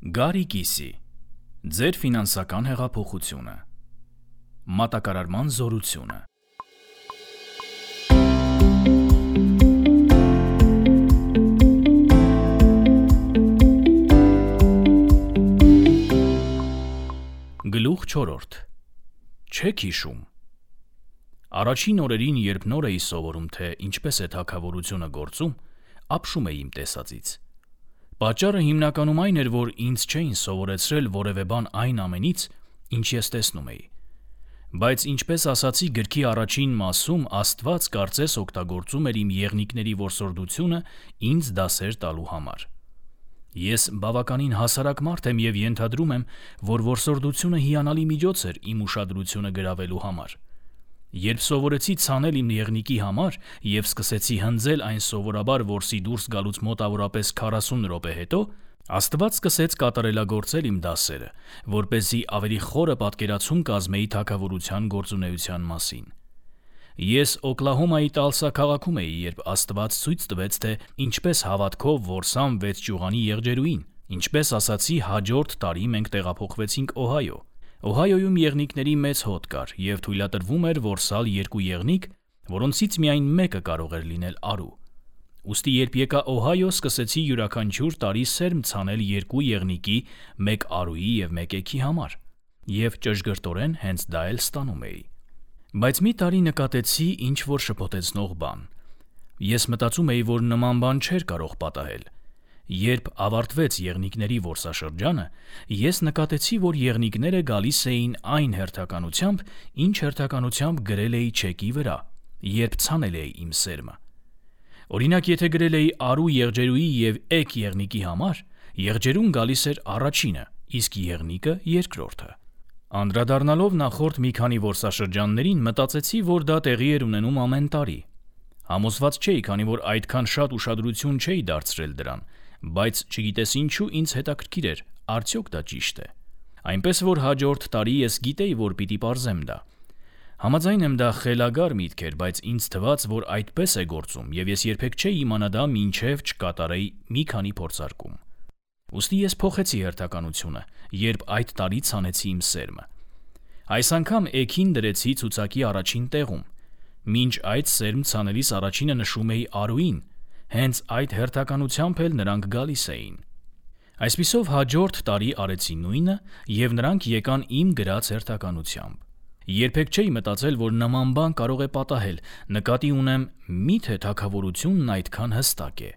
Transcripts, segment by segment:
Գարի կիսի, ձեր ֆինանսական հեղափոխությունը, մատակարարման զորությունը։ Գլուխ 4. Չեք հիշում։ Առաջին օրերին, երբ նոր էի սովորում, թե ինչպես է թագավորությունը գործում, ապշում էի իմ տեսածից։ Պատճառը հիմնականում այն էր, որ ինձ չէին սովորեցրել որևէ բան այն ամենից, ինչ ես տեսնում էի։ Բայց ինչպես ասացի գրքի առաջին մասում, Աստված կարծես օգտագործում էր իմ եղնիկների որսորդությունը ինձ դասեր տալու համար։ Ես բավականին հասարակ մարդ եմ և ենթադրում եմ, որ որսորդությունը հիանալի միջոց էր իմ ուշադրությունը գրավելու համար։ Երբ սովորեցի ցանել իմ եղնիկի համար և սկսեցի հնձել այն սովորաբար որսի դուրս գալուց մոտավորապես 40 րոպե հետո, Աստված սկսեց կատարելագործել իմ դասերը, որպեսզի ավելի խորը պատկերացում կազմեի թագավորության գործունեության մասին։ Ես Օկլահոմայի Տալսա քաղաքում էի, երբ Աստված ցույց տվեց, թե ինչպես հավատքով որսամ 6 ճյուղանի եղջերուին։ Ինչպես ասացի, հաջորդ տարի մենք տեղափոխվեցինք Օհայո։ Օհայոյում եղնիկների մեծ հոտ կար և թույլատրվում էր որսալ 2 եղնիկ, որոնցից միայն մեկը կարող էր լինել արու։ Ուստի երբ եկա Օհայո, սկսեցի յուրաքանչյուր տարի սերմ ցանել 2 եղնիկի, 1 արուի և 1 էգի համար, և ճշգրտորեն հենց դա էլ ստանում էի։ Բայց մի տարի նկատեցի ինչ-որ շփոթեցնող բան։ Ես մտածում էի, որ նման բան չէր կարող պատահել։ Երբ ավարտվեց եղնիկների որսաշրջանը, ես նկատեցի, որ եղնիկները գալիս էին այն հերթականությամբ, ինչ հերթականությամբ գրել էի չեկի վրա, երբ ցանել էի իմ սերմը։ Օրինակ, եթե գրել էի արու եղջերուի և էգ եղնիկի համար, եղջերուն գալիս էր առաջինը, իսկ եղնիկը երկրորդը։ Անդրադառնալով նախորդ մի քանի որսաշրջաններին, մտածեցի, որ դա տեղի էր ունենում ամեն տարի։ Համոզված չէի, քանի որ այդքան շատ ուշադրություն չէի դարձրել դրան, բայց չգիտես ինչու ինձ հետաքրքիր էր, արդյոք դա ճիշտ է։ Այնպես որ հաջորդ տարի ես գիտեի, որ պիտի պարզեմ դա։ Համաձայն եմ, դա խելագար միտք էր, բայց ինձ թվաց, որ այդպես է գործում, և ես երբեք չէի իմանա դա, մինչև չկատարեի մի քանի փորձարկում։ Ուստի ես փոխեցի հերթականությունը, երբ այդ տարի ցանեցի իմ սերմը։ Այս անգամ էգին դրեցի ցուցակի առաջին տեղում։ Մինչ այդ սերմ ցանելիս առաջինը նշում էի արուին, հենց այդ հերթականությամբ էլ նրանք գալիս էին։ Այսպիսով հաջորդ տարի արեցի նույնը, և նրանք եկան իմ գրած հերթականությամբ։ Երբեք չէի մտածել, որ նման բան կարող է պատահել, նկատի ունեմ, միթե թագավորությունն այդքան հստակ է։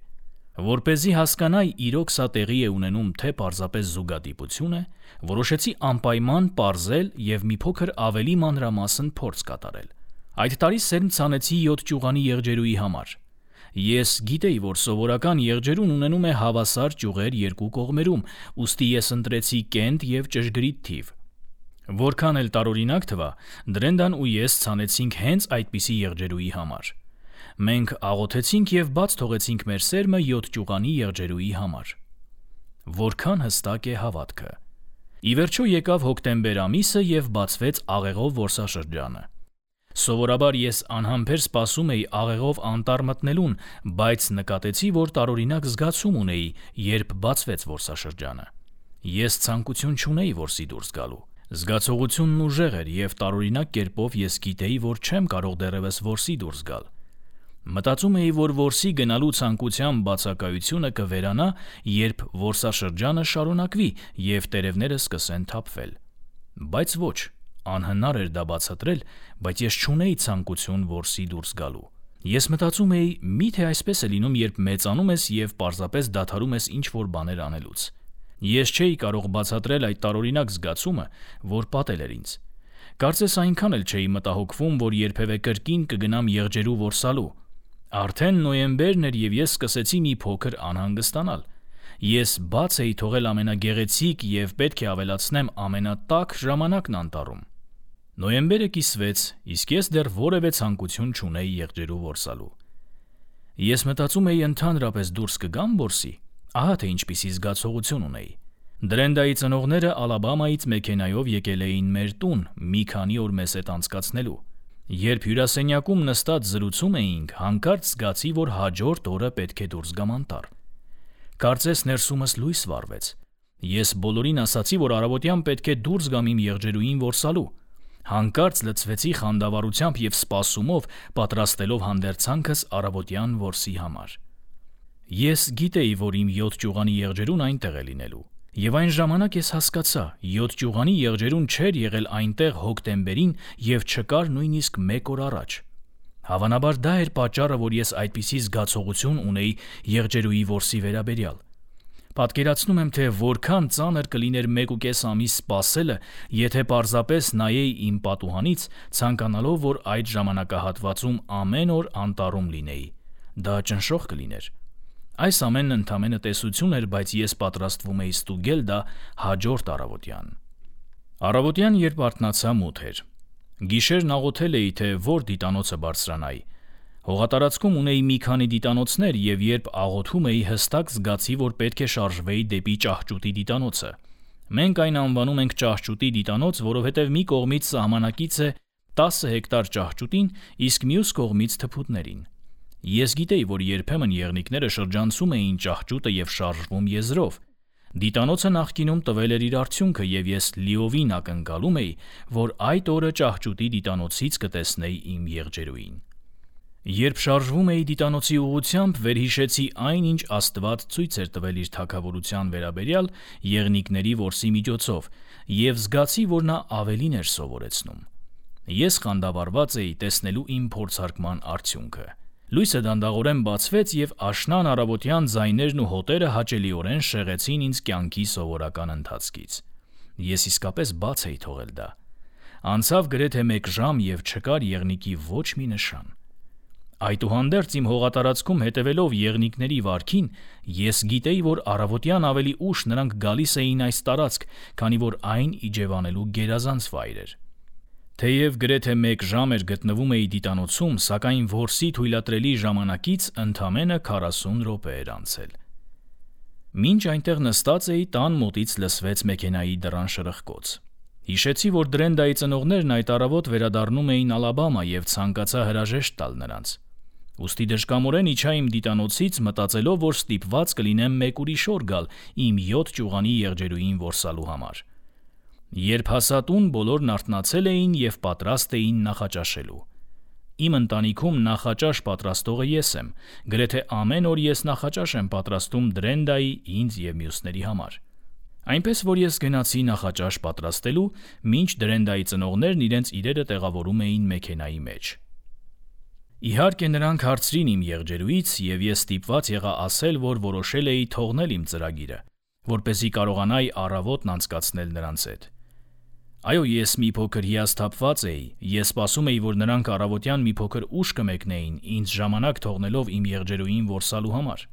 Որպեսզի հասկանայի իրոք սա տեղի է ունենում, թե պարզապես զուգադիպություն է, որոշեցի անպայման պարզել և մի փոքր ավելի մանրամասն փորձ կատարել։ Այդ տարի սերմ ցանեցի 7 ճյուղանի եղջերուի համար։ Ես գիտեի, որ սովորական եղջերուն ունենում է հավասար ճյուղեր 2 կողմերում, ուստի ես ընտրեցի կենտ և ճշգրիտ թիվ։ Որքան էլ տարօրինակ թվա, Դրենդան ու ես ցանեցինք հենց այդպիսի եղջերուի համար։ Մենք աղոթեցինք և բաց թողեցինք մեր սերմը 7 ճյուղանի եղջերուի համար։ Որքան հստակ է հավատքը։ Ի վերջո եկավ հոկտեմբեր ամիսը և բացվեց աղեղով որսաշրջանը։ Սովորաբար ես անհամբեր սպասում էի աղեղով անտառ մտնելուն, բայց նկատեցի, որ տարօրինակ զգացում ունեի, երբ բացվեց որսաշրջանը։ Ես ցանկություն չունեի որսի դուրս գալու։ Զգացողությունն ուժեղ էր, և տարօրինակ կերպով ես գիտեի, որ չեմ կարող դեռևս որսի դուրս գալ։ Մտածում էի, որ որսի գնալու ցանկության բացակայությունը կվերանա, երբ որսաշրջանը շարունակվի և տերևները սկսեն թափվել։ Բայց ոչ, անհնար էր դա բացատրել, բայց ես չունեի ցանկություն որսի դուրս գալու։ Ես մտածում էի, միթե այսպես է լինում, երբ մեծանում ես և պարզապես դադարում ես ինչ-որ բաներ անելուց։ Ես չէի կարող բացատրել այդ տարօրինակ զգացումը, որ պատել էր ինձ։ Կարծես այնքան էլ չէի մտահոգվում, որ երբևէ կրկին կգնամ եղջերու որսալու։ Արդեն նոյեմբերն էր, և ես սկսեցի մի փոքր անհանգստանալ։ Ես բաց էի թողել ամենագեղեցիկ և, պետք է ավելացնեմ, ամենատաք ժամանակն անտառում։ Նոյեմբերը կիսվեց, իսկ ես դեռ որևէ ցանկություն չունեի եղջերու որսալու։ Ես մտածում էի ընդհանրապես դուրս կգամ որսի, ահա թե ինչպիսի զգացողություն ունեի։ Դրենդայի ծնողները Ալաբամայից մեքենայով եկել էին մեր տուն մի քանի օր մեզ հետ անցկացնելու։ Երբ հյուրասենյակում նստած զրուցում էինք, հանկարծ զգացի, որ հաջորդ օրը պետք է դուրս գամ անտառ։ Կարծես ներսումս լույս վառվեց։ Ես բոլորին ասացի, որ առավոտյան պետք է դուրս գամ իմ եղջերուին որսալու։ Հանկարծ լցվեցի խանդավառությամբ և սպասումով, պատրաստելով հանդերձանքս առավոտյան որսի համար։ Ես գիտեի, որ իմ 7 ճյուղանի եղջերուն այնտեղ է լինելու։ Եվ այն ժամանակ ես հասկացա, 7 ճյուղանի եղջերուն չէր եղել այնտեղ հոկտեմբերին և չկար նույնիսկ 1 օր առաջ։ Հավանաբար դա էր պատճառը, որ ես այդպիսի զգացողություն ունեի եղջերուի որսի վերաբերյալ։ Պատկերացնում եմ, թե որքան ծանր կլիներ 1.5 ամիս սպասելը, եթե պարզապես նայեի իմ պատուհանից, ցանկանալով, որ այդ ժամանակահատվածում ամեն օր անտառում լինեի։ Դա ճնշող կլիներ։ Այս ամենն ընդամենը տեսություն էր, բայց ես պատրաստվում էի ստուգել դա հաջորդ առավոտյան։ Առավոտյան, երբ արթնացա, մութ էր։ Գիշերն աղոթել էի, թե որ դիտանոցը բարձրանայի։ Հողատարածքում ունեի մի քանի դիտանոցներ, և երբ աղոթում էի, հստակ զգացի, որ պետք է շարժվեի դեպի ճահճուտի դիտանոցը։ Մենք այն անվանում ենք ճահճուտի դիտանոց, որովհետև մի կողմից սահմանակից է 10 հեկտար ճահճուտին, իսկ մյուս կողմից թփուտներին։ Ես գիտեի, որ երբեմն եղնիկները շրջանցում էին ճահճուտը և շարժվում եզրով։ Դիտանոցը նախկինում տվել էր իր արդյունքը, և ես լիովին ակնկալում էի, որ այդ օրը ճահճուտի դիտանոցից կտեսնեի իմ եղջերուին։ Երբ շարժվում էի դիտանոցի ուղղությամբ, վերհիշեցի այն, ինչ Աստված ցույց էր տվել իր թագավորության վերաբերյալ եղնիկների որսի միջոցով, և զգացի, որ նա ավելին էր սովորեցնում։ Ես խանդավառված էի տեսնելու իմ փորձարկման արդյունքը։ Լույսը դանդաղորեն բացվեց, և աշնան առավոտյան ձայներն ու հոտերը հաճելիորեն շեղեցին ինձ կյանքի սովորական ընթացքից։ Ես իսկապես բաց էի թողել դա։ Անցավ գրեթե 1 ժամ, և չկար եղնիկի ոչ մի նշան։ Այդուհանդերձ իմ հողատարածքում հետևելով եղնիկների վարքին, ես գիտեի, որ առավոտյան ավելի ուշ նրանք գալիս էին այս տարածք, քանի որ այն իջևանելու գերազանց վայր էր։ Թեև գրեթե 1 ժամ էր գտնվում էի դիտանոցում, սակայն որսի թույլատրելի ժամանակից ընդամենը 40 րոպե էր անցել։ Մինչ այնտեղ նստած էի, տան մոտից լսվեց մեքենայի դռան շրխկոց։ Հիշեցի, որ Դրենդայի ծնողներն այդ առավոտ վերադառնում էին Ալաբամա և ցանկացա հրաժեշտ տալ նրանց։ Ուստի դժկամորեն իջա իմ դիտանոցից, մտածելով, որ ստիպված կլինեմ մեկ ուրիշ օր գալ իմ 7 ճյուղանի եղջերուին որսալու համար։ Երբ հասա տուն, բոլորն արթնացել էին և պատրաստ էին նախաճաշելու։ Իմ ընտանիքում նախաճաշ պատրաստողը ես եմ, գրեթե ամեն օր ես նախաճաշ եմ պատրաստում Դրենդայի, ինձ և մյուսների համար։ Այնպես որ ես գնացի նախաճաշ պատրաստելու, մինչ Դրենդայի ծնողներն իրենց իրերը տեղավորում էին մեքենայի մեջ։ Իհարկե նրանք հարցրին իմ եղջերուից, և ես ստիպված եղա ասել, որ որոշել էի թողնել իմ ծրագիրը, որպեսզի կարողանայի առավոտն անցկացնել նրանց հետ։ Այո, ես մի փոքր հիասթափված էի, ես սպասում էի, որ նրանք առավոտյան մի փոքր ուշ կմեկնեին, ինձ ժամանակ թողնելով իմ եղջերուին որսալու համար։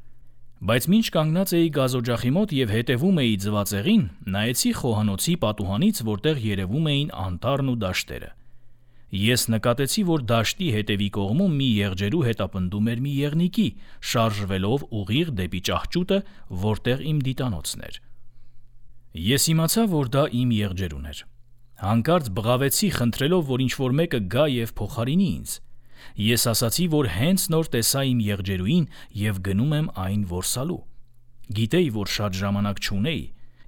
Բայց մինչ կանգնած էի գազօջախի մոտ և հետևում էի ձվածեղին, նայեցի խոհանոցի պատուհանից, որտեղ երևում էին անտառն ու դաշտերը։ Ես նկատեցի, որ դաշտի հետևի կողմում մի եղջերու հետապնդում էր մի եղնիկի, շարժվելով ուղիղ դեպի ճահճուտը, որտեղ իմ դիտանոցն էր։ Ես իմացա, որ դա իմ եղջերուն էր։ Հանկարծ բղավեցի, խնդրելով, որ ինչ-որ մեկը գա և փոխարինի ինձ։ Ես ասացի, որ հենց նոր տեսա իմ եղջերուին և գնում եմ այն որսալու։ Գիտեի, որ շատ ժամանակ չունեի։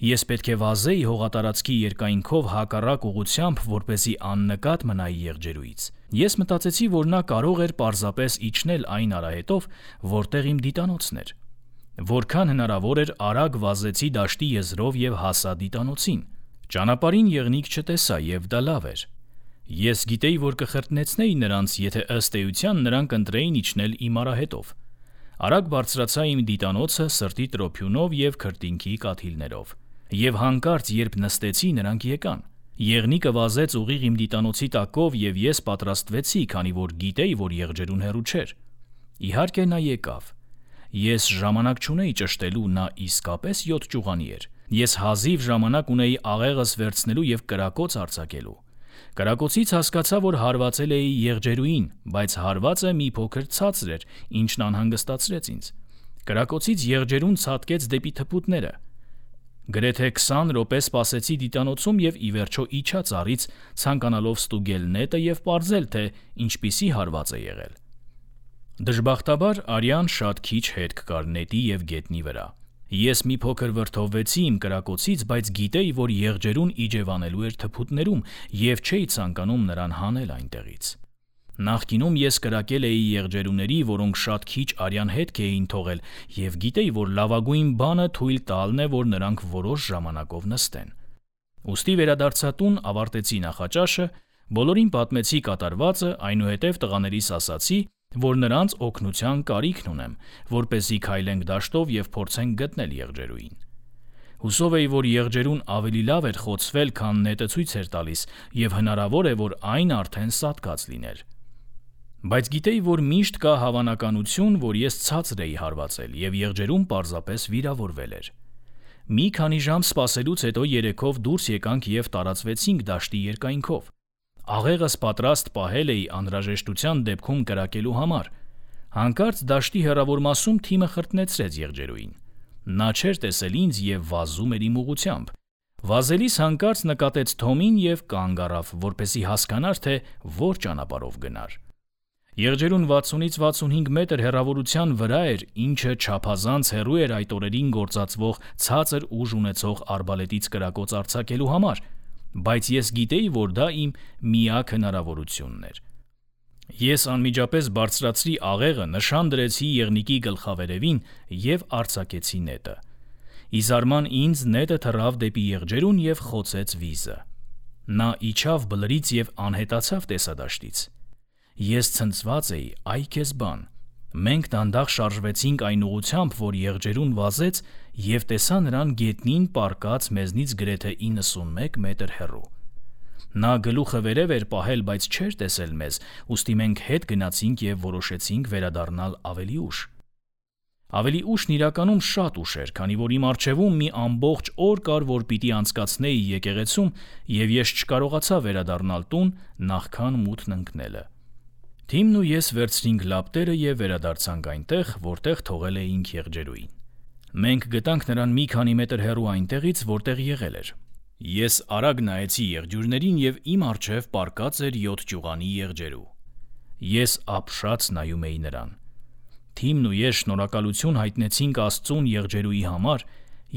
Ես պետք է վազեի հողատարածքի երկայնքով հակառակ ուղղությամբ, որպեսզի աննկատ մնայի եղջերուից։ Ես մտածեցի, որ նա կարող էր պարզապես իջնել այն արահետով, որտեղ իմ դիտանոցն էր։ Որքան հնարավոր էր արագ վազեցի դաշտի եզրով և հասա դիտանոցին։ Ճանապարհին եղնիկ չտեսա, և դա լավ էր։ Ես գիտեի, որ կխրտնեցնեի նրանց, եթե ըստ էության նրանք ընտրեին իջնել իմ արահետով։ Արագ բարձրացա իմ դիտանոցը սրտի տրոփյունով և քրտինքի կաթիլներով։ Եվ հանկարծ, երբ նստեցի, նրանք եկան։ Եղնիկը վազեց ուղիղ իմ դիտանոցի տակով, և ես պատրաստվեցի, քանի որ գիտեի, որ եղջերուն հեռու չէր։ Իհարկե նա եկավ։ Ես ժամանակ չունեի ճշտելու, նա իսկապես 7 ճյուղանի էր։ Ես հազիվ ժամանակ ունեի աղեղս վերցնելու և կրակոց արձակելու։ Կրակոցից հասկացա, որ հարվածել էի եղջերուին, բայց հարվածը մի փոքր ցածր էր, ինչն անհանգստացրեց ինձ։ Կրակոցից եղջերուն ցատկեց դեպի թփուտները։ Գրեթե 20 րոպե սպասեցի դիտանոցում և ի վերջո իջա ծառից, ցանկանալով ստուգել նետը և պարզել, թե ինչպիսի հարված է եղել։ Դժբախտաբար արյան շատ քիչ հետք կար նետի և գետնի վրա։ Ես մի փոքր վրդովվեցի իմ կրակոցից, բայց գիտեի, որ եղջերուն իջևանելու էր թփուտներում և չէի ցանկանում նրան հանել այնտեղից։ Նախկինում ես կրակել էի եղջերուների, որոնք շատ քիչ արյան հետք էին թողել, և գիտեի, որ լավագույն բանը թույլ տալն է, որ նրանք որոշ ժամանակով նստեն։ Ուստի վերադարձա տուն, ավարտեցի նախաճաշը, բոլորին պատմեցի կատարվածը, այնուհետև տղաներիս ասացի, որ նրանց օգնության կարիքն ունեմ, որպեսզի քայլենք դաշտով և փորձենք գտնել եղջերուին։ Հուսով էի, որ եղջերուն ավելի լավ էր խոցվել, քան նետը ցույց էր տալիս, և հնարավոր է, որ այն արդեն սատկած լիներ։ Բայց գիտեի, որ միշտ կա հավանականություն, որ ես ցածր էի հարվածել, և եղջերուն պարզապես վիրավորվել էր։ Մի քանի ժամ սպասելուց հետո երեքով դուրս եկանք և տարածվեցինք դաշտի երկայնքով։ Աղեղս պատրաստ պահել էի անհրաժեշտության դեպքում կրակելու համար։ Հանկարծ դաշտի հեռավոր մասում թիմը խրտնեցրեց եղջերուին։ Նա չէր տեսել ինձ և վազում էր իմ ուղղությամբ։ Վազելիս հանկարծ նկատեց Թոմին և կանգ առավ, որպեսզի հասկանար, թե որ ճանապարհով գնար։ Եղջերուն 60-ից 65 մետր հեռավորության վրա էր, ինչը չափազանց հեռու էր այդ օրերին գործածվող ցածր ուժ ունեցող արբալետից կրակոց արձակելու համար, բայց ես գիտեի, որ դա իմ միակ հնարավորությունն էր։ Ես անմիջապես բարձրացրի աղեղը, նշան դրեցի եղնիկի գլխավերևին և արձակեցի նետը։ Ի զարման ինձ նետը թռավ դեպի եղջերուն և խոցեց վիզը։ Նա իջավ բլրից և անհետացավ տեսադաշտից։ Ես ցնցված էի, այ քեզ բան։ Մենք դանդաղ շարժվեցինք այն ուղղությամբ, որ եղջերուն վազեց, և տեսա նրան գետնին պառկած մեզնից գրեթե 91 մետր հեռու։ Նա գլուխը վերև էր պահել, բայց չէր տեսել մեզ, ուստի մենք հետ գնացինք և որոշեցինք վերադառնալ ավելի ուշ։ Ավելի ուշն իրականում շատ ուշ էր, քանի որ իմ առջևում մի ամբողջ օր կար, որ պիտի անցկացնեի եկեղեցում, և ես չկարողացա վերադառնալ տուն նախքան մութն ընկնելը։ Թիմն ու ես վերցրինք լապտերը և վերադարձանք այնտեղ, որտեղ թողել էինք եղջերուին։ Մենք գտանք նրան մի քանի մետր հեռու այնտեղից, որտեղ եղել էր։ Ես արագ նայեցի եղջյուրներին և իմ առջև պառկած էր 7 ճյուղանի եղջերու։ Ես ապշած նայում էի նրան։ Թիմն ու ես շնորհակալություն հայտնեցինք Աստծուն եղջերուի համար,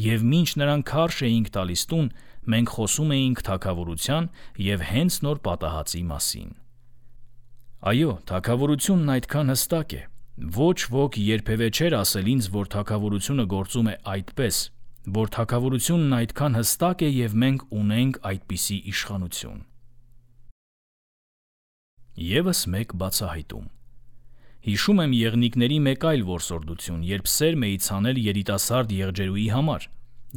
և մինչ նրան քարշ էինք տալիս տուն, մենք խոսում էինք թագավորության և հենց նոր պատահածի մասին։ Այո, թագավորությունն այդքան հստակ է։ Ոչ ոք երբևէ չէր ասել ինձ, որ թագավորությունը գործում է այդպես, որ թագավորությունն այդքան հստակ է և մենք ունենք այդպիսի իշխանություն։ Եվս մեկ բացահայտում։ Հիշում եմ եղնիկների մեկ այլ որսորդություն, երբ սերմ էի ցանել երիտասարդ եղջերուի համար։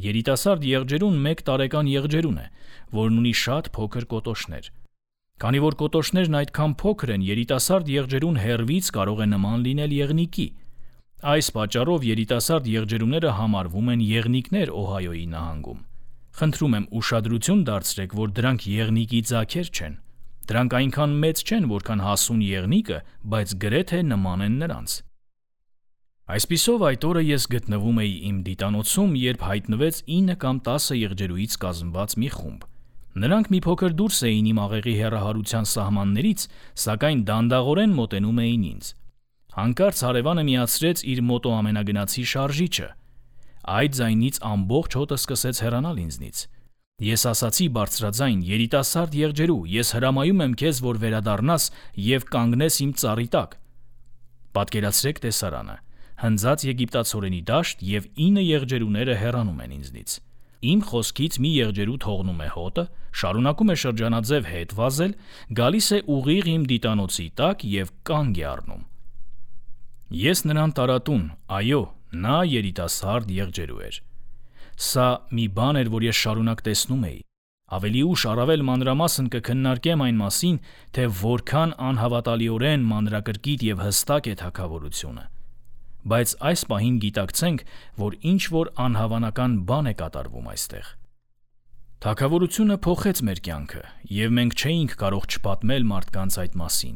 Երիտասարդ եղջերուն 1 տարեկան եղջերուն է, որն ունի շատ փոքր կոտոշներ։ Քանի որ կոտոշներն այդքան փոքր են, երիտասարդ եղջերուն հեռվից կարող է նման լինել եղնիկի։ Այս պատճառով երիտասարդ եղջերուները համարվում են եղնիկներ Օհայոյի նահանգում։ Խնդրում եմ ուշադրություն դարձրեք, որ դրանք եղնիկի ձագեր չեն։ Դրանք այնքան մեծ չեն, որքան հասուն եղնիկը, բայց գրեթե նման են նրանց։ Այսպիսով այդ օրը ես գտնվում էի իմ դիտանոցում, երբ հայտնվեց 9 կամ 10 եղջերուից կազմված մի խումբ։ Նրանք մի փոքր դուրս էին իմ աղեղի հեռահարության սահմաններից, սակայն դանդաղորեն մոտենում էին ինձ։ Հանկարծ հարևանը միացրեց իր մոտո ամենագնացի շարժիչը։ Այդ ձայնից ամբողջ հոտը սկսեց հեռանալ ինձնից։ Ես ասացի բարձրաձայն. երիտասարդ եղջերու, ես հրամայում եմ քեզ, որ վերադառնաս և կանգնես իմ ծառի տակ։ Պատկերացրեք տեսարանը. հնձած եգիպտացորենի դաշտ և 9 եղջերուները հեռանում են ինձնից։ Իմ խոսքից մի եղջերու թողնում է հոտը, շարունակում է շրջանաձև հետ վազել, գալիս է ուղիղ իմ դիտանոցի տակ և կանգ է առնում։ Ես նրան տարա տուն, այո, նա երիտասարդ եղջերու էր։ Սա մի բան էր, որ ես շարունակ տեսնում էի։ Ավելի ուշ առավել մանրամասն կքննարկեմ այն մասին, թե որքան անհավատալիորեն մանրակրկիտ և հստակ է թագավորությունը։ Բայց այս պահին գիտակցենք, որ ինչ-որ անհավանական բան է կատարվում այստեղ։ Թագավորությունը փոխեց մեր կյանքը, և մենք չէինք կարող չպատմել մարդկանց այդ մասին։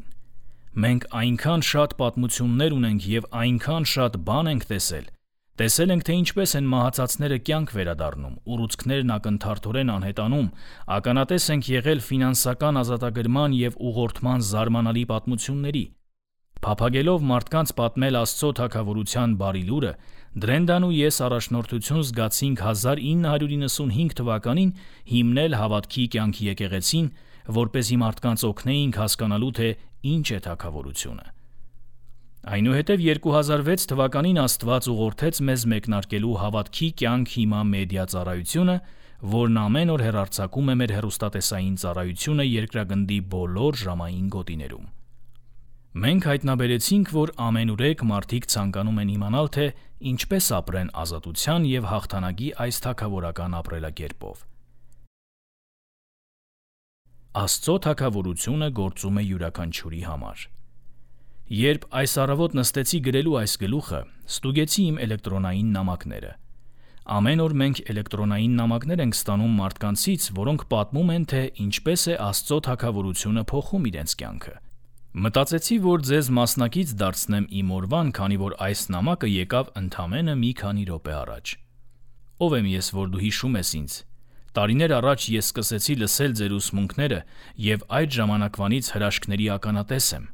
Մենք այնքան շատ պատմություններ ունենք և այնքան շատ բան ենք տեսել։ Տեսել ենք, թե ինչպես են մահացածները կյանք վերադառնում, ուռուցքներն ակնթարթորեն անհետանում, ականատես ենք եղել ֆինանսական ազատագրման և ուղղորդման զարմանալի պատմությունների։ Փափագելով մարդկանց պատմել Աստծո թագավորության բարի լուրը, Դրենդան ու ես առաջնորդություն զգացինք 1995 թվականին հիմնել հավատքի կյանքի եկեղեցին, որպեսզի մարդկանց օգնեինք հասկանալու, թե ինչ է թագավորությունը։ Այնուհետև 2006 թվականին Աստված ուղղորդեց մեզ մեկնարկելու հավատքի կյանք հիմա մեդիա ծառայությունը, որն ամեն օր հեռարձակում է մեր հեռուստատեսային ծառայությունը երկրագնդի բոլոր ժամային գոտիներում։ Մենք հայտնաբերեցինք, որ ամենուրեք մարդիկ ցանկանում են իմանալ, թե ինչպես ապրեն ազատության և հաղթանակի այս թագավորական ապրելակերպով։ Աստծո թագավորությունը գործում է յուրաքանչյուրի համար։ Երբ այս առավոտ նստեցի գրելու այս գլուխը, ստուգեցի իմ էլեկտրոնային նամակները։ Ամեն օր մենք էլեկտրոնային նամակներ ենք ստանում մարդկանցից, որոնք պատմում են, թե ինչպես է Աստծո թագավորությունը փոխում իրենց կյանքը։ Մտածեցի, որ ձեզ մասնակից դարձնեմ իմ օրվան, քանի որ այս նամակը եկավ ընդամենը մի քանի րոպե առաջ։ Ով եմ ես, որ դու հիշում ես ինձ։ Տարիներ առաջ ես սկսեցի լսել ձեր ուսմունքները և այդ ժամանակվանից հրաշքների ականատես եմ։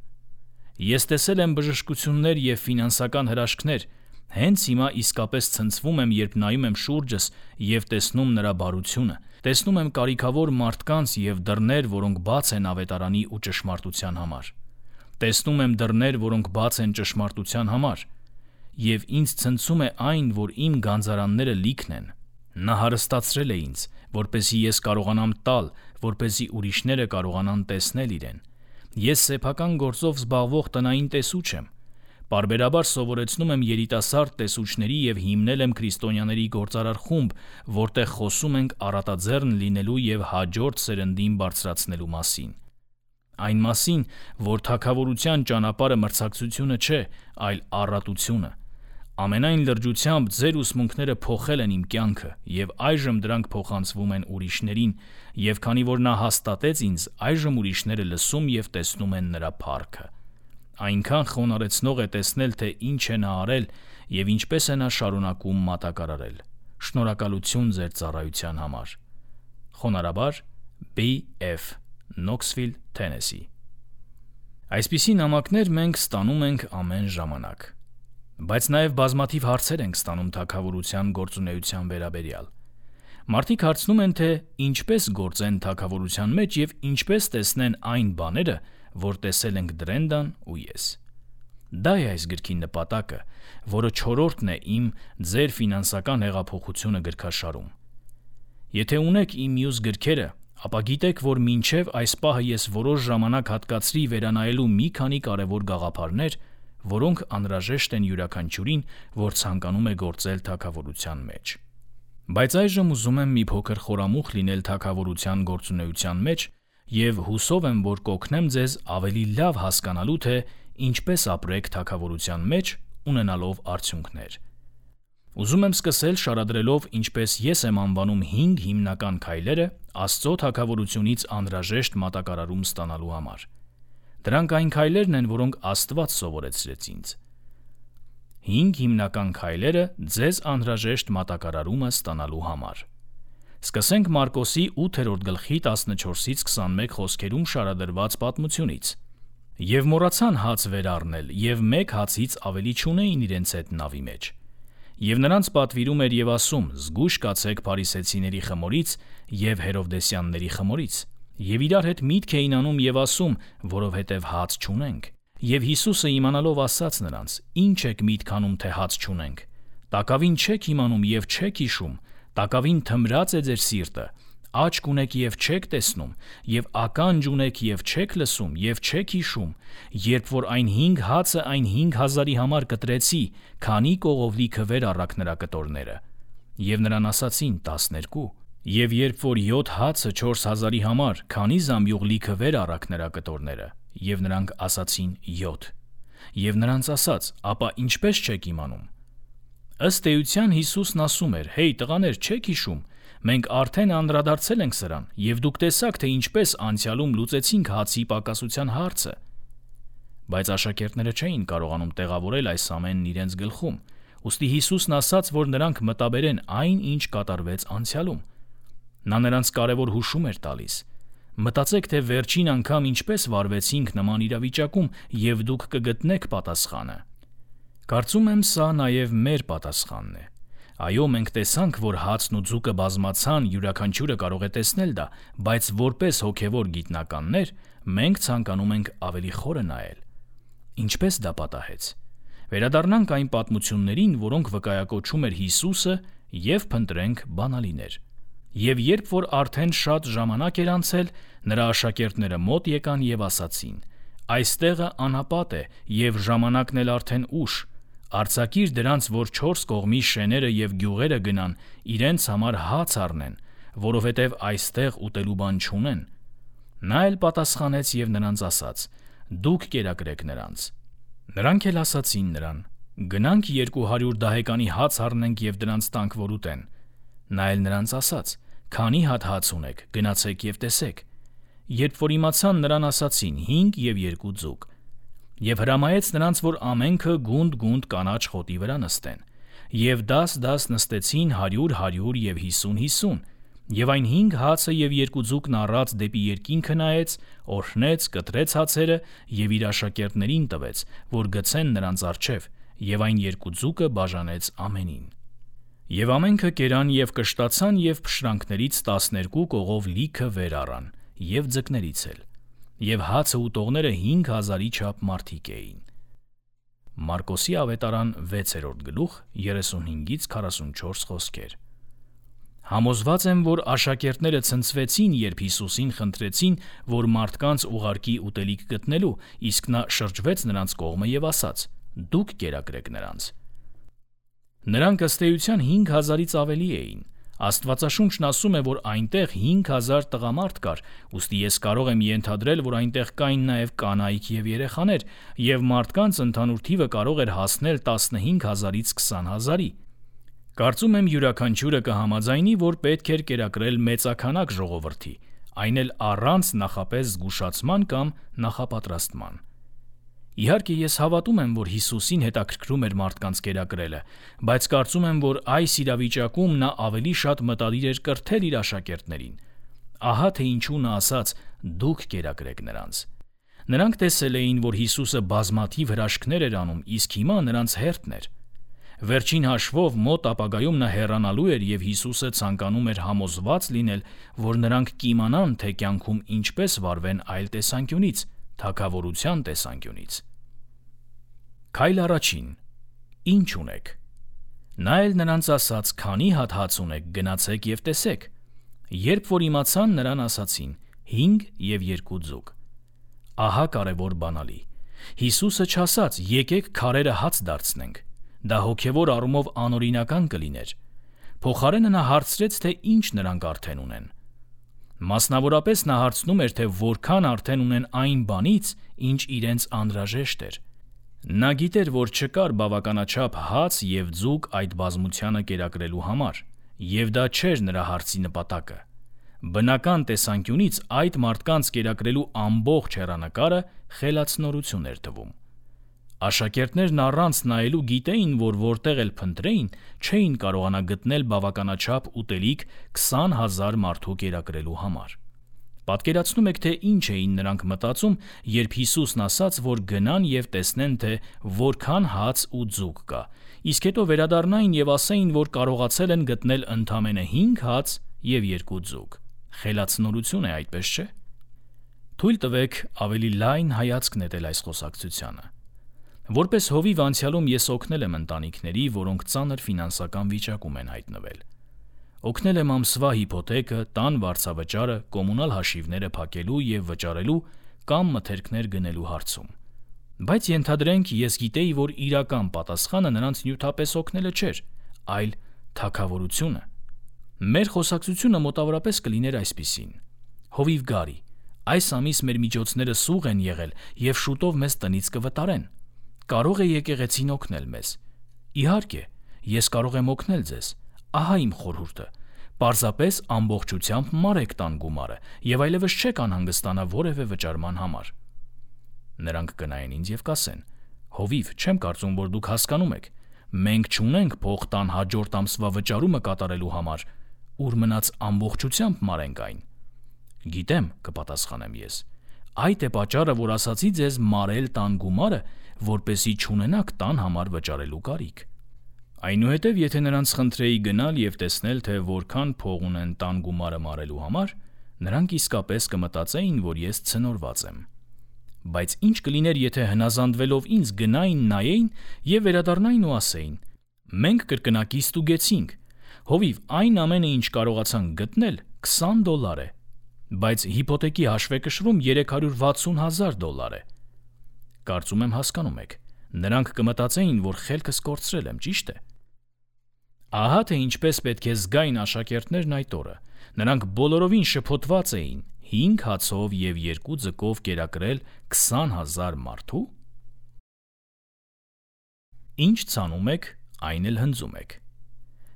Ես տեսել եմ բժշկություններ և ֆինանսական հրաշքներ, հենց հիմա իսկապես ցնցվում եմ, երբ նայում եմ շուրջս և տեսնում նրա բարությունը, տեսնում եմ կարիքավոր մարդկանց և դռներ, որոնք բաց են ավետարանի ու ճշմարտության համար։ Տեսնում եմ դռներ, որոնք բաց են ճշմարտության համար, և ինձ ցնցում է այն, որ իմ գանձարանները լիքն են։ Նա հարստացրել է ինձ, որպեսզի ես կարողանամ տալ, որպեսզի ուրիշները կարողանան տեսնել իրեն։ Ես սեփական գործով զբաղվող տնային տեսուչ եմ։ Պարբերաբար սովորեցնում եմ երիտասարդ տեսուչների և հիմնել եմ քրիստոնյաների գործարար խումբ, որտեղ խոսում ենք առատաձեռն լինելու և հաջորդ սերնդին բարձրացնելու մասին։ Այն մասին, որ թագավորության ճանապարհը մրցակցությունը չէ, այլ առատությունը։ Ամենայն լրջությամբ ձեր ուսմունքները փոխել են իմ կյանքը, և այժմ դրանք փոխանցվում են ուրիշներին, և քանի որ նա հաստատեց ինձ, այժմ ուրիշները լսում և տեսնում են նրա փառքը։ Այնքան խոնարհեցնող է տեսնել, թե ինչ է նա արել և ինչպես է նա շարունակում մատակարարել։ Շնորհակալություն ձեր ծառայության համար։ Խոնարհաբար B.F. Knoxville, Tennessee։ Այսպիսի նամակներ մենք ստանում ենք ամեն ժամանակ։ Բայց նաև բազմաթիվ հարցեր ենք ստանում թագավորության գործունեության վերաբերյալ։ Մարդիկ հարցնում են, թե ինչպես գործեն թագավորության մեջ և ինչպես տեսնեն այն բաները, որ տեսել ենք Դրենդան ու ես։ Դա է այս գրքի նպատակը, որը 4-րդն է իմ «Ձեր ֆինանսական հեղափոխությունը» գրքաշարում։ Եթե ունեք իմ մյուս գրքերը, ապա գիտեք, որ մինչև այս պահը ես որոշ ժամանակ հատկացրի վերանայելու մի քանի կարևոր գաղափարներ, որոնք անհրաժեշտ են յուրաքանչյուրին, որ ցանկանում է գործել թագավորության մեջ։ Բայց այժմ ուզում եմ մի փոքր խորամուխ լինել թագավորության գործունեության մեջ և հուսով եմ, որ կօգնեմ ձեզ ավելի լավ հասկանալու, թե ինչպես ապրեք թագավորության մեջ, ունենալով արդյունքներ։ Ուզում եմ սկսել շարադրելով, ինչպես ես եմ անվանում 5 հիմնական քայլերը Աստծո թագավորությունից անհրաժեշտ մատակարարում ստանալու համար։ Դրանք այն քայլերն են, որոնք Աստված սովորեցրեց ինձ։ 5 հիմնական քայլերը ձեզ անհրաժեշտ մատակարարումը ստանալու համար։ Սկսենք Մարկոսի 8-րդ գլխի 14-21 խոսքերում շարադրված պատմությունից։ «Եվ մոռացան հաց վեր առնել, և մեկ հացից ավելի չունեին իրենց հետ նավի մեջ։ Եվ նրանց պատվիրում էր և ասում. զգույշ կացեք փարիսեցիների խմորից և հերովդեսյանների խմորից։ Եվ իրար հետ միտք էին անում և ասում, որովհետև հաց չունենք։ Եվ Հիսուսը իմանալով ասաց նրանց. ինչ եք միտք անում, թե հաց չունենք։ Տակավին չեք իմանում և չեք հիշում, տակավին թմրած է ձեր սիրտը, աչք ունեք և չեք տեսնում, և ականջ ունեք և չեք լսում և չեք հիշում, երբ որ այն 5 հացը այն 5,000-ի համար կտրեցի, քանի կողով լիքը վեր առաք նրա կտորները։ Եվ նրան ասացին 12. Եվ երբ որ 7 հացը 4,000-ի համար, քանի զամբյուղ լիքը վեր առաք նրա կտորները։ Եվ նրանք ասացին 7։ Եվ նրանց ասաց. ապա ինչպես չեք իմանում։ Ըստ էության Հիսուսն ասում էր. «Հեյ տղաներ, չեք հիշում, մենք արդեն անդրադարձել ենք սրան, և դուք տեսաք, թե ինչպես անցյալում լուծեցինք հացի պակասության հարցը»։ Բայց աշակերտները չէին կարողանում տեղավորել այս ամենն իրենց գլխում, ուստի Հիսուսն ասաց, որ նրանք մտաբերեն այն, ինչ կատարվեց անցյալում։ Նա նրանց կարևոր հուշում էր տալիս։ Մտածեք, թե վերջին անգամ ինչպես վարվեցինք նման իրավիճակում, եւ դուք կգտնեք պատասխանը։ Կարծում եմ, սա նաև մեր պատասխանն է։ Այո, մենք տեսանք, որ հացն ու ձուկը բազմացան, յուրաքանչյուրը կարող է տեսնել դա, բայց որպես հոգևոր գիտնականներ, մենք ցանկանում ենք ավելի խորը նայել։ Ինչպես դա պատահեց։ Վերադառնանք այն պատմություններին, որոնք վկայակոչում էր Հիսուսը, եւ փնտրենք բանալիներ։ Եվ երբ որ արդեն շատ ժամանակ էր անցել, նրա աշակերտները մոտ եկան եւ ասացին. «Այս տեղը անապատ է, եւ ժամանակն էլ արդեն ուշ։ Արձակիր դրանց, որ 4 կողմի շեները եւ գյուղերը գնան, իրենց համար հաց առնեն, որովհետեւ այստեղ ուտելու բան չունեն»։ Նա էլ պատասխանեց եւ նրանց ասաց. «Դուք կերակրեք նրանց»։ Նրանք էլ ասացին նրան. «Գնանք 200 դահեկանի հաց առնենք եւ դրանց տանք, որ ուտեն»։ Նա էլ նրանց ասաց. «Քանի հատ հաց ունեք, գնացեք եւ տեսեք»։ Երբ որ իմացան, նրան ասացին. 5 եւ 2 ձուկ։ Եվ հրամայեց նրանց, որ ամենքը գունդ կանաչ խոտի վրա նստեն։ Եվ դաս նստեցին 100 եւ 50, եւ այն 5 հացը եւ 2 ձուկն առած դեպի երկինքը նայեց, օրհնեց, կտրեց հացերը եւ իր աշակերտներին տվեց, որ գցեն նրանց առջև, եւ այն 2 ձուկը բաժանեց ամենին։ Եվ ամենքը կերան եւ կշտացան եւ փշրանքներից 12 կողով լիքը վեր առան, եւ ձկներից էլ, եւ հացը ուտողները 5000-ի չափ մարդիկ էին։ Մարկոսի ավետարան 6-րդ գլուխ 35-ից 44 խոսքեր։ Համոզված եմ, որ աշակերտները ցնցվեցին, երբ Հիսուսին խնդրեցին, որ մարդկանց ուղարկի ուտելիք գտնելու, իսկ նա շրջվեց նրանց կողմը եւ ասաց. «Դուք կերակրեք նրանց»։ Նրանք ըստ էության 5000-ից ավելի էին։ Աստվածաշունչն ասում է, որ այնտեղ 5000 տղամարդ կար, ուստի ես կարող եմ ենթադրել, որ այնտեղ կային նաև կանայք եւ երեխաներ, եւ մարդկանց ընդհանուր թիվը կարող էր հասնել 15000-ից 20000-ի։ Կարծում եմ յուրաքանչյուրը կհամաձայնի, որ պետք էր կերակրել մեծաքանակ ժողովրդի, այն էլ առանց նախապես զգուշացման կամ նախապատրաստման։ Իհարկե, ես հավատում եմ, որ Հիսուսին հետաքրքրում էր մարդկանց կերակրելը, բայց կարծում եմ, որ այս իրավիճակում նա ավելի շատ մտադիր էր կրթել իր աշակերտներին։ Ահա թե ինչու նա ասաց. «Դուք կերակրեք նրանց»։ Նրանք տեսել էին, որ Հիսուսը բազմաթիվ հրաշքներ էր անում, իսկ հիմա նրանց հերթն էր։ Վերջին հաշվով մոտ ապագայում նա հեռանալու էր, եւ Հիսուսը ցանկանում էր համոզված լինել, որ նրանք կիմանան, թե կյանքում ինչպես վարվեն այլ տեսանկյունից, թագավորության տեսանկյունից։ Քայլ առաջին. Ինչ ունեք։ Նա էլ նրանց ասաց. «Քանի հատ հաց ունեք, գնացեք եւ տեսեք»։ Երբ որ իմացան, նրան ասացին. 5 եւ 2 ձուկ։ Ահա կարևոր բանալի։ Հիսուսը չասաց. «Եկեք քարերը հաց դարձնենք»։ Դա հոգևոր առումով անօրինական կլիներ։ Փոխարենը նա հարցրեց, թե ինչ նրանք արդեն ունեն։ Մասնավորապես նա հարցնում էր, թե որքան արդեն ունեն այն բանից, ինչ իրենց անհրաժեշտ էր։ Նա գիտեր, որ չկար բավականաչափ հաց եւ ձուկ այդ բազմությանը կերակրելու համար, եւ դա չէր նրա հարցի նպատակը։ Բնական տեսանկյունից այդ մարդկանց կերակրելու ամբողջ հեռանկարը խելացնորություն էր թվում։ Աշակերտներն առանց նայելու գիտեին, որ որտեղ էլ փնտրեին, չէին կարողանա գտնել բավականաչափ ուտելիք 20000 մարդու կերակրելու համար։ Պատկերացնում եք, թե ինչ էին նրանք մտածում, երբ Հիսուսն ասաց, որ գնան եւ տեսնեն, թե որքան հաց ու ձուկ կա, իսկ հետո վերադառնային եւ ասեին, որ կարողացել են գտնել ընդամենը 5 հաց եւ 2 ձուկ։ Խելացնորություն է, այդպես չէ՞։ Թույլ տվեք ավելի լայն հայացք նետել այս խոսակցությանը։ Որպես հովիվ անցյալում ես օգնել եմ ընտանիքների, որոնք ծանր ֆինանսական վիճակում են հայտնվել։ Օգնել եմ ամսվա հիփոթեկը, տան վարձավճարը, կոմունալ հաշիվները փակելու եւ վճարելու կամ մթերքներ գնելու հարցում։ Բայց ենթադրենք, ես գիտեի, որ իրական պատասխանը նրանց նյութապես օգնելը չէր, այլ թագավորությունը։ Մեր խոսակցությունը մոտավորապես կլիներ այսպիսին. Հովիվ Գարի, այս ամիս մեր միջոցները սուղ են եղել եւ շուտով մեզ տնից կվտարեն։ Կարող է եկեղեցին օգնել մեզ։ Իհարկե, ես կարող եմ օգնել ձեզ։ Ահա իմ խորհուրդը. պարզապես ամբողջությամբ մարեք տան գումարը եւ այլևս չեք անհանգստանա որևէ վճարման համար։ Նրանք կնայեն ինձ եւ կասեն. Հովիվ, չեմ կարծում, որ դուք հասկանում եք։ Մենք չունենք փող տան հաջորդ ամսվա վճարումը կատարելու համար, ուր մնաց ամբողջությամբ մարենք այն։ Գիտեմ, կպատասխանեմ ես։ Այդ է պատճառը, որ ասացի ձեզ մարել տան գումարը, որպեսզի չունենաք տան համար վճարելու կարիք։ Այնուհետև, եթե նրանց խնդրեի գնալ եւ տեսնել, թե որքան փող ունեն տան գումարը մարելու համար, նրանք իսկապես կմտածեին, որ ես ցնորված եմ։ Բայց ինչ կլիներ, եթե հնազանդվելով ինձ գնային, նայեին եւ վերադառնային ու ասեին. մենք կրկնակի ստուգեցինք, հովիվ այն ամենը, ինչ կարողացանք գտնել, $20 է, բայց հիփոթեքի հաշվեկշռում $360,000 է։ Կարծում եմ հասկանում եք, նրանք կմտածեին, որ խելքս կորցրել եմ, ճիշտ է։ Ահա թե ինչպես պետք է զգային աշակերտներն այդ օրը։ Նրանք բոլորովին շփոթված էին 5 հացով եւ 2 ձկով կերակրել 20,000 մարդու։ Ինչ ցանում եք, այն էլ հնձում եք։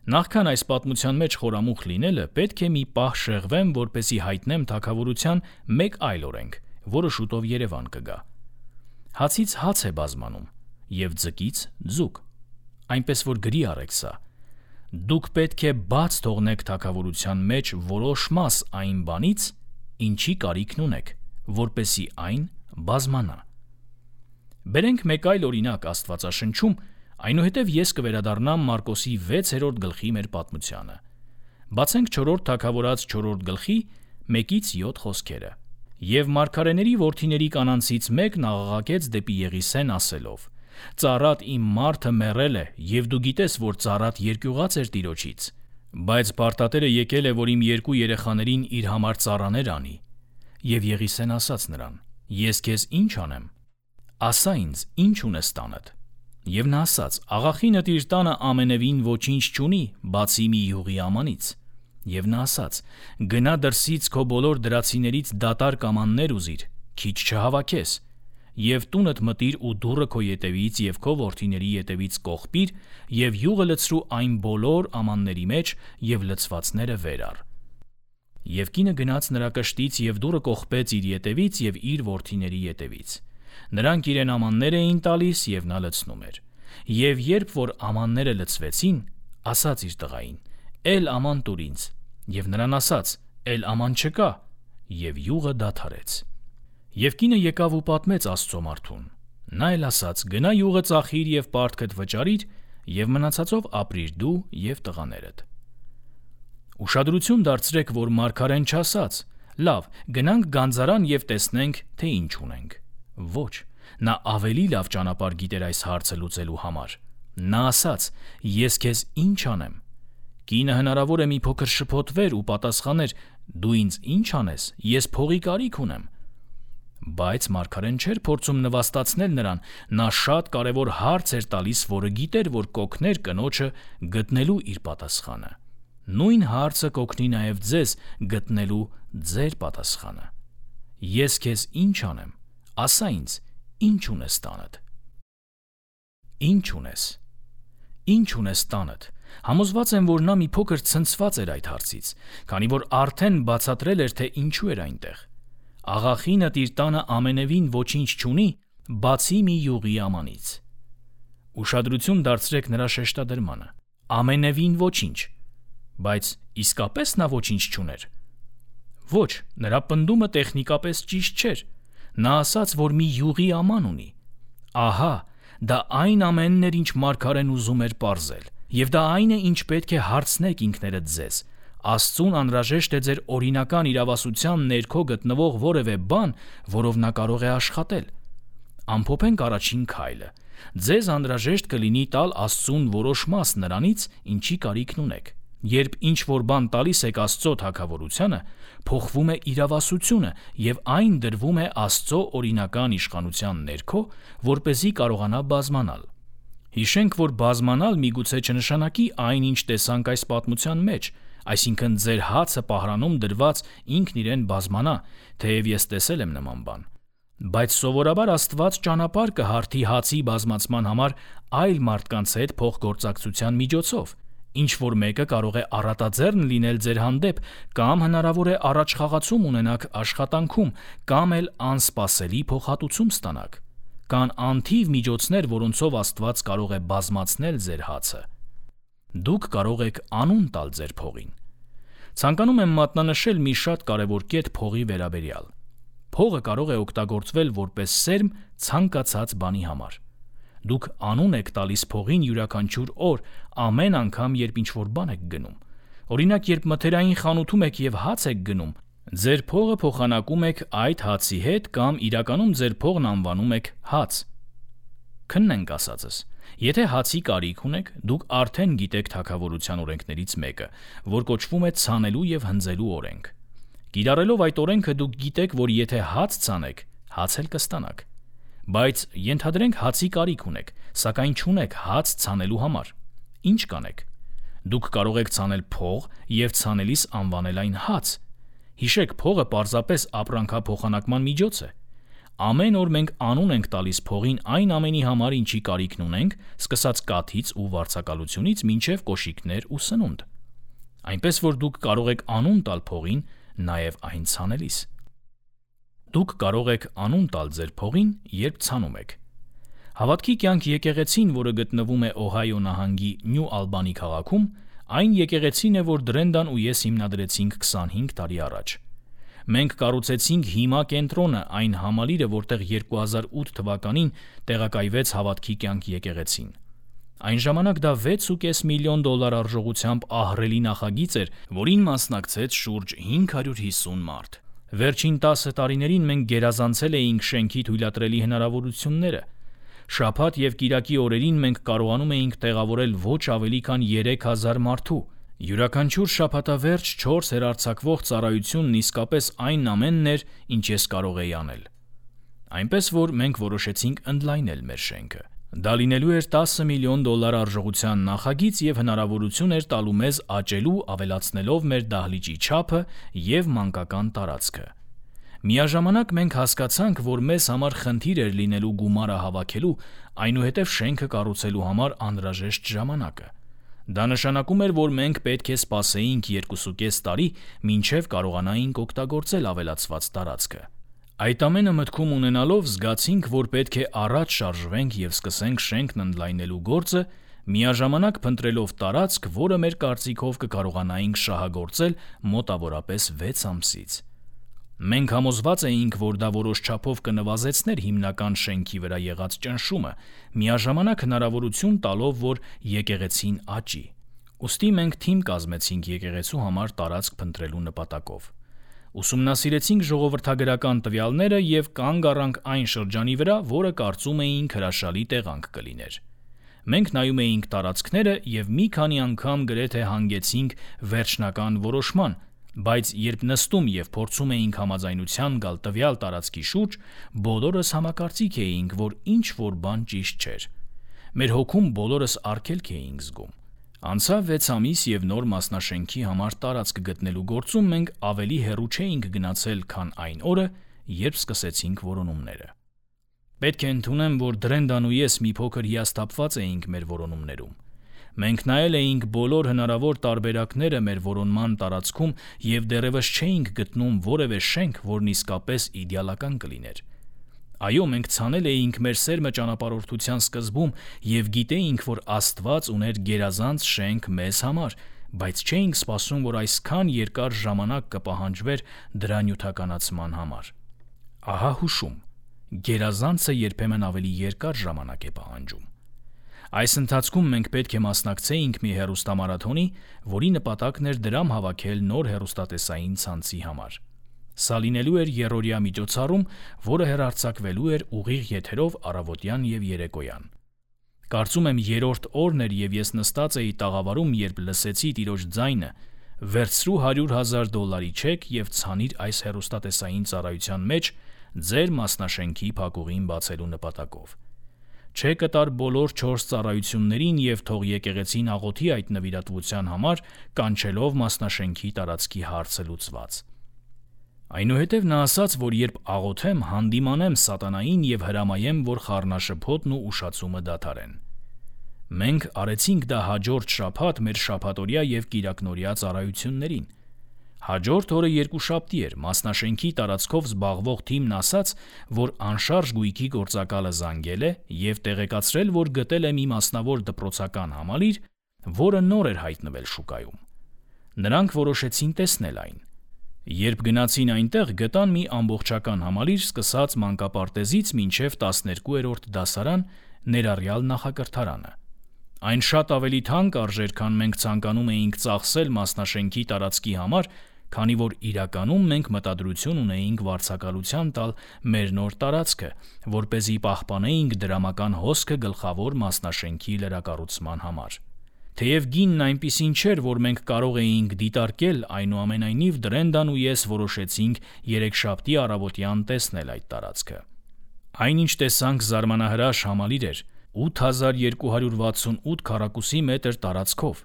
Նախքան այս պատմության մեջ խորամուխ լինելը, պետք է մի պահ շեղվեմ, որպեսզի հայտնեմ թագավորության մեկ այլ օրենք, որը շուտով Երևան կգա։ Հացից հաց է բազմանում եւ ձկից ձուկ։ Այնպես որ գրի առեք սա։ Դուք պետք է բաց թողնեք թագավորության մեջ որոշ մաս այն բանից, ինչի կարիքն ունեք, որպեսզի այն բազմանա։ Բերենք մեկ այլ օրինակ Աստվածաշնչում, այնուհետև ես կվերադառնամ Մարկոսի 6-րդ գլխի մեր պատմությանը։ Բացենք 4-րդ թագավորաց 4-րդ գլխի 1-7 խոսքերը։ Եվ մարգարեների որդիների կանանցից մեկն աղաղակեց դեպի Եղիսեն ասելով. «Ծառատ իմ մարդը մեռել է, եւ դու գիտես, որ ծառատ երկյուղած էր տիրոջից, բայց պարտատերը եկել է, որ իմ 2 երեխաներին իր համար ծառաներ անի»։ Եվ Եղիսեն ասաց նրան. «Ես քեզ ինչ անեմ, ասա ինձ, ինչ ունես տանդ»։ Եվ նա ասաց. «Աղախինդ իր տանը ամենևին ոչինչ չունի, բացի մի յուղի ամանից»։ Եվ նա ասաց. «Գնա դրսից քո բոլոր դրացիներից դատարկ ամաններ ուզիր, քիչ չհավաքես, եւ տունդ մտիր ու դուռը քո ետևից եւ քո որդիների ետևից կողպիր եւ յուղը լցրու այն բոլոր ամանների մեջ եւ լցվածները վեր առ»։ Եվ կինը գնաց նրա կշտից եւ դուռը կողպեց իր ետևից եւ իր որդիների ետևից։ Նրանք իրեն ամաններ էին տալիս եւ նա լցնում էր։ Եվ երբ որ ամանները լցվեցին, ասաց իր տղային. «Էլ աման տուր ինձ»։ Եվ նրան ասաց. «Էլ աման չկա»։ Եվ յուղը դադարեց։ Եվ կինը եկավ ու պատմեց Աստծո մարդուն։ Նա էլ ասաց. «Գնա յուղը ծախիր եւ պարտքդ վճարիր եւ մնացածով ապրիր դու եւ տղաներդ»։ Ուշադրություն դարձրեք, որ մարգարեն չասաց. «Լավ, գնանք գանձարան եւ տեսնենք, թե ինչ ունենք»։ Ոչ, նա ավելի լավ ճանապարհ գիտեր այս հարցը լուծելու համար։ Նա ասաց. «Ես քեզ ինչ անեմ»։ Կինը հնարավոր է մի փոքր շփոթվեր ու պատասխաներ. «Դու ինձ ինչ անես, ես փողի կարիք ունեմ»։ Բայց մարգարեն չէր փորձում նվաստացնել նրան, նա շատ կարևոր հարց էր տալիս, որը գիտեր, որ կօգներ կնոջը գտնելու իր պատասխանը։ Նույն հարցը կօգնի նաև ձեզ գտնելու ձեր պատասխանը։ Ես քեզ ինչ անեմ, ասա ինձ, ինչ ունես տանդ։ Ինչ ունես։ Ինչ ունես տանդ։ Համոզված եմ, որ նա մի փոքր ցնցված էր այդ հարցից, քանի որ արդեն բացատրել էր, թե ինչու էր այնտեղ։ Աղախինդ իր տանը ամենևին ոչինչ չունի, բացի մի յուղի ամանից։ Ուշադրություն դարձրեք նրա շեշտադրմանը։ Ամենևին ոչինչ։ Բայց իսկապես նա ոչինչ չուներ։ Ոչ, նրա պնդումը տեխնիկապես ճիշտ չէր։ Նա ասաց, որ մի յուղի աման ունի։ Ահա, դա այն ամենն էր, ինչ մարգարեն ուզում էր պարզել։ Եվ դա այն է, ինչ պետք է հարցնեք ինքներդ ձեզ։ Աստծուն անհրաժեշտ է ձեր օրինական իրավասության ներքո գտնվող որևէ բան, որով նա կարող է աշխատել։ Ամփոփենք առաջին քայլը։ Ձեզ անհրաժեշտ կլինի տալ Աստծուն որոշ մաս նրանից, ինչի կարիքն ունեք։ Երբ ինչ-որ բան տալիս եք Աստծո թագավորությանը, փոխվում է իրավասությունը եւ այն դրվում է Աստծո օրինական իշխանության ներքո, որպեսզի կարողանա բազմանալ։ Հիշենք, որ բազմանալ միգուցե չնշանակի այն, ինչ տեսանք այս պատմության մեջ, այսինքն ձեր հացը պահրանում դրված ինքն իրեն բազմանա, թեև ես տեսել եմ նման բան։ Բայց սովորաբար Աստված ճանապարհ կհարթի հացի բազմացման համար այլ մարդկանց հետ փոխգործակցության միջոցով, ինչ որ մեկը կարող է առատաձեռն լինել ձեր հանդեպ, կամ հնարավոր է առաջխաղացում ունենաք աշխատանքում, կամ էլ անսպասելի փոխհատուցում ստանաք։ Կան անթիվ միջոցներ, որոնցով Աստված կարող է բազմացնել ձեր հացը։ Դուք կարող եք անուն տալ ձեր փողին։ Ցանկանում եմ մատնանշել մի շատ կարևոր կետ փողի վերաբերյալ։ Փողը կարող է օգտագործվել որպես սերմ ցանկացած բանի համար։ Դուք անուն եք տալիս փողին յուրաքանչյուր օր, ամեն անգամ, երբ ինչ-որ բան եք գնում։ Օրինակ, երբ մթերային խանութում եք և հաց եք գնում, ձեր փողը փոխանակում եք այդ հացի հետ կամ իրականում ձեր փողն անվանում եք հաց։ Քննենք ասածս։ Եթե հացի կարիք ունեք, դուք արդեն գիտեք թագավորության օրենքներից մեկը, որ կոչվում է ցանելու և հնձելու օրենք։ Կիրառելով այդ օրենքը դուք գիտեք, որ եթե հաց ցանեք, հաց էլ կստանաք։ Բայց ենթադրենք հացի կարիք ունեք, սակայն չունեք հաց ցանելու համար։ Ինչ կանեք։ Դուք կարող եք ցանել փող և ցանելիս անվանել այն հաց։ Հիշեք, փողը պարզապես ապրանքափոխանակման միջոց է։ Ամեն օր մենք անուն ենք տալիս փողին այն ամենի համար, ինչի կարիքն ունենք, սկսած կաթից ու վարձակալությունից մինչև կոշիկներ ու սնունդ։ Այնպես որ դուք կարող եք անուն տալ փողին նաև այն ցանելիս։ Դուք կարող եք անուն տալ ձեր փողին, երբ ցանում եք։ Հավատքի կյանք եկեղեցին, որը գտնվում է Օհայո նահանգի Նյու Ալբանի քաղաքում, այն եկեղեցին է, որ Դրենդան ու ես հիմնադրեցինք 25 տարի առաջ։ Մենք կառուցեցինք հիմա կենտրոնը, այն համալիրը, որտեղ 2008 թվականին տեղակայվեց Հավատքի կյանք եկեղեցին։ Այն ժամանակ դա $6.5 միլիոն արժողությամբ ահռելի նախագիծ էր, որին մասնակցեց շուրջ 550 մարդ։ Վերջին 10 տարիներին մենք գերազանցել էինք շենքի թույլատրելի հնարավորությունները։ Շաբաթ և կիրակի օրերին մենք կարողանում էինք տեղավորել ոչ ավելի քան 3000 մարդու։ Յուրաքանչյուր շաբաթավերջ 4 հեռարձակվող ծառայությունն իսկապես այն ամենն էր, ինչ ես կարող էի անել։ Այնպես որ մենք որոշեցինք ընդլայնել մեր շենքը։ Դա լինելու էր $10 միլիոն արժողության նախագիծ և հնարավորություն էր տալու մեզ աճելու, ավելացնելով մեր դահլիճի չափը և մանկական տարածքը։ Միաժամանակ մենք հասկացանք, որ մեզ համար խնդիր էր լինելու գումարը հավաքելու, այնուհետև շենքը կառուցելու համար անհրաժեշտ ժամանակը։ Դա նշանակում էր, որ մենք պետք է սպասեինք 2.5 տարի, մինչև կարողանայինք օգտագործել ավելացված տարածքը։ Այդ ամենը մտքում ունենալով զգացինք, որ պետք է առաջ շարժվենք և սկսենք շենքն ընդլայնելու գործը, միաժամանակ փնտրելով տարածք, որը մեր կարծիքով կկարողանայինք շահագործել մոտավորապես 6 ամսից։ Մենք համոզված էինք, որ դա որոշ չափով կնվազեցներ հիմնական շենքի վրա եղած ճնշումը, միաժամանակ հնարավորություն տալով, որ եկեղեցին աճի։ Ուստի մենք թիմ կազմեցինք եկեղեցու համար տարածք փնտրելու նպատակով։ Ուսումնասիրեցինք ժողովրդագրական տվյալները և կանգ առանք այն շրջանի վրա, որը կարծում էինք հրաշալի տեղանք կլիներ։ Մենք նայում էինք տարածքները և մի քանի անգամ գրեթե հանգեցինք վերջնական որոշման, բայց երբ նստում և փորձում էինք համաձայնության գալ տվյալ տարածքի շուրջ, բոլորս համակարծիք էինք, որ ինչ-որ բան ճիշտ չէր։ Մեր հոգում բոլորս արգելք էինք զգում։ Անցավ 6 ամիս և նոր մասնաշենքի համար տարածք գտնելու գործում մենք ավելի հեռու չէինք գնացել, քան այն օրը, երբ սկսեցինք որոնումները։ Պետք է ընդունեմ, որ Դրենդան ու ես մի փոքր հիասթափված էինք մեր որոնումներում։ Մենք նայել էինք բոլոր հնարավոր տարբերակները մեր որոնման տարածքում և դեռևս չէինք գտնում որևէ շենք, որն իսկապես իդեալական կլիներ։ Այո, մենք ցանել էինք մեր սերմը ճանապարհորդության սկզբում և գիտեինք, որ Աստված ուներ գերազանց շենք մեզ համար, բայց չէինք սպասում, որ այսքան երկար ժամանակ կպահանջվեր դրա նյութականացման համար։ Ահա հուշում. գերազանցը երբեմն ավելի երկար ժամանակ է պահանջում։ Այս ընթացքում մենք պետք է մասնակցեինք մի հեռուստամարաթոնի, որի նպատակն էր դրամ հավաքել նոր հեռուստատեսային ցանցի համար։ Սա լինելու էր եռօրյա միջոցառում, որը հեռարձակվելու էր ուղիղ եթերով առավոտյան և երեկոյան։ Կարծում եմ երրորդ օրն էր և ես նստած էի տաղավարում, երբ լսեցի տիրոջ ձայնը. «Վերցրու $100,000 չեք և ցանիր այս հեռուստատեսային ծառայության մեջ ձեր մասնաշենքի փակուղին բացելու նպատակով։ Չեկը տար բոլոր 4 ծառայություններին և թող եկեղեցին աղոթի այդ նվիրատվության համար, կանչելով մասնաշենքի տարածքի հարցը լուծված»։ Այնուհետև նա ասաց, որ երբ աղոթեմ, հանդիմանեմ սատանային և հրամայեմ, որ խառնաշփոթն ու ուշացումը դադարեն։ Մենք արեցինք դա հաջորդ շաբաթ մեր շաբաթօրյա և կիրակնօրյա ծառայություններին։ Հաջորդ օրը երկուշաբթի էր, մասնաշենքի տարածքով զբաղվող թիմն ասաց, որ անշարժ գույքի գործակալը զանգել է և տեղեկացրել, որ գտել է մի մասնավոր դպրոցական համալիր, որը նոր էր հայտնվել շուկայում։ Նրանք որոշեցին տեսնել այն։ Երբ գնացին այնտեղ, գտան մի ամբողջական համալիր սկսած մանկապարտեզից մինչև 12-րդ դասարան, ներառյալ նախակրթարանը։ Այն շատ ավելի թանկ արժեր, քան մենք ցանկանում էինք ծախսել մասնաշենքի տարածքի համար, քանի որ իրականում մենք մտադրություն ունեինք վարձակալության տալ մեր նոր տարածքը, որպեսզի պահպանեինք դրամական հոսքը գլխավոր մասնաշենքի լրակառուցման համար։ Թեև գինն այնպիսին չէր, որ մենք կարող էինք դիտարկել, այնուամենայնիվ Դրենդան ու ես որոշեցինք երեքշաբթի առավոտյան տեսնել այդ տարածքը։ Այնինչ տեսանք զարմանահրաշ համալիր էր, 8268 քառակուսի մետր տարածքով։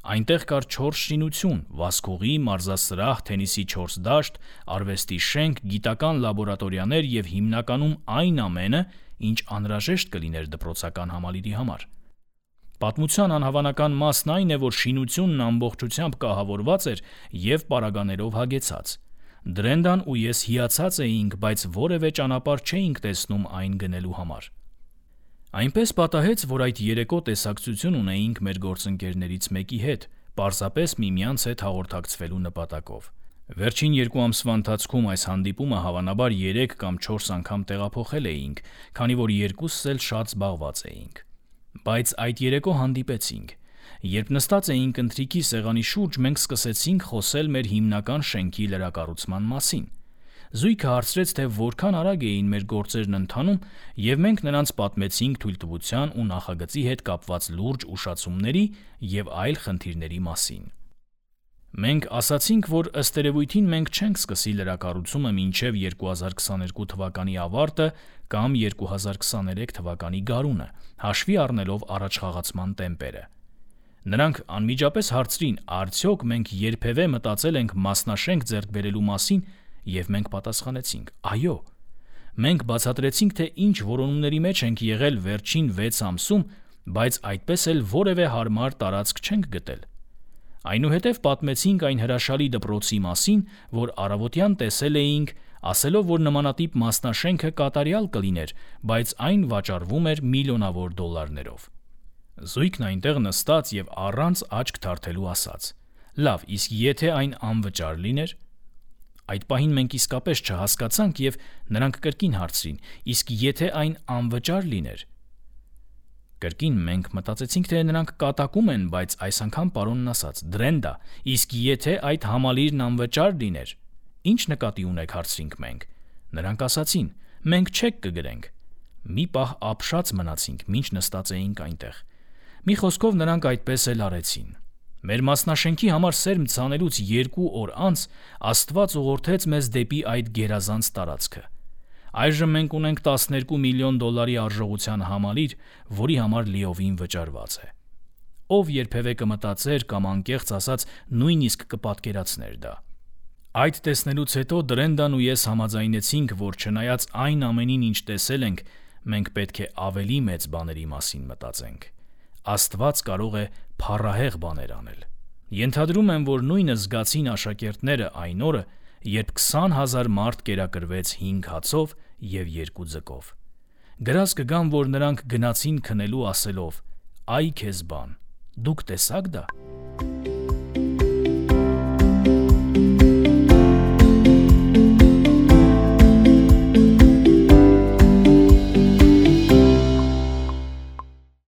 Այնտեղ կար 4 շինություն՝ վազքուղի, մարզասրահ, թենիսի 4 դաշտ, արվեստի շենք, գիտական լաբորատորիաներ և հիմնականում այն ամենը, ինչ անհրաժեշտ կլիներ դպրոցական համալիրի համար։ Պատմության անհավանական մասն այն է, որ շինությունն ամբողջությամբ կահավորված էր և պարագաներով հագեցած։ Դրենդան ու ես հիացած էինք, բայց որևէ ճանապարհ չէինք տեսնում այն գնելու համար։ Այնպես պատահեց, որ այդ երեկո տեսակցություն ունեինք մեր գործընկերներից մեկի հետ, պարզապես միմյանց հետ հաղորդակցվելու նպատակով։ Վերջին 2 ամսվա ընթացքում այս հանդիպումը հավանաբար 3 կամ 4 անգամ տեղափոխել էինք, քանի որ երկուսս էլ շատ զբաղված էինք։ Բայց այդ երեկո հանդիպեցինք։ Երբ նստած էինք ընթրիքի սեղանի շուրջ, մենք սկսեցինք խոսել մեր հիմնական շենքի լրակառուցման մասին։ Զույգը հարցրեց, թե որքան արագ էին մեր գործերն ընթանում, և մենք նրանց պատմեցինք թույլտվության ու նախագծի հետ կապված լուրջ ուշացումների և այլ խնդիրների մասին։ Մենք ասացինք, որ ըստ երևույթին մենք չենք սկսի լրակառուցումը մինչև 2022 թվականի ավարտը կամ 2023 թվականի գարունը, հաշվի առնելով առաջխաղացման տեմպերը։ Նրանք անմիջապես հարցրին, արդյոք մենք երբևէ մտածել ենք մասնաշենք ձեռք բերելու մասին, և մենք պատասխանեցինք՝ այո։ Մենք բացատրեցինք, թե ինչ որոնումների մեջ ենք եղել վերջին 6 ամսում, բայց այդպես էլ որևէ հարմար տարածք չենք գտել։ Այնուհետև պատմեցինք այն հրաշալի դպրոցի մասին, որ առավոտյան տեսել էինք, ասելով, որ նմանատիպ մասնաշենքը կատարյալ կլիներ, բայց այն վաճառվում էր միլիոնավոր դոլարներով։ Զույգն այնտեղ նստած և առանց աչք թարթելու ասաց. «Լավ, իսկ եթե այն անվճար լիներ»։ Այդ պահին մենք իսկապես չհասկացանք և նրանք կրկին հարցրին. «Իսկ եթե այն անվճար լիներ»։ Կրկին մենք մտածեցինք, թե նրանք կատակում են, բայց այս անգամ պարոնն ասաց. «Դրենդա, իսկ եթե այդ համալիրն անվճար լիներ»։ «Ինչ նկատի ունեք»՝ հարցրինք մենք։ Նրանք ասացին. «Մենք չեկ կգրենք»։ Մի պահ ապշած մնացինք, մինչ նստած էինք այնտեղ։ Մի խոսքով նրանք այդպես էլ արեցին։ Մեր մասնաշենքի համար սերմ ցանելուց 2 օր անց Աստված ուղղորդեց մեզ դեպի այդ գերազանց տարածքը։ Այժմ մենք ունենք 12 միլիոն դոլարի արժողության համալիր, որի համար լիովին վճարված է։ Ով երբևէ կմտածեր կամ անկեղծ ասած նույնիսկ կպատկերացներ դա։ Այդ տեսնելուց հետո Դրենդան ու ես համաձայնեցինք, որ չնայած այն ամենին, ինչ տեսել ենք, մենք պետք է ավելի մեծ բաների մասին մտածենք։ Աստված կարող է փառահեղ բաներ անել։ Ենթադրում եմ, որ նույնը զգացին աշակերտները այն օրը, երբ 20,000 մարդ կերակրվեց 5 հացով և 2 ձկով։ Գրած կգամ, որ նրանք գնացին քնելու ասելով. «Այ քեզ բան, դուք տեսա՞ք դա»։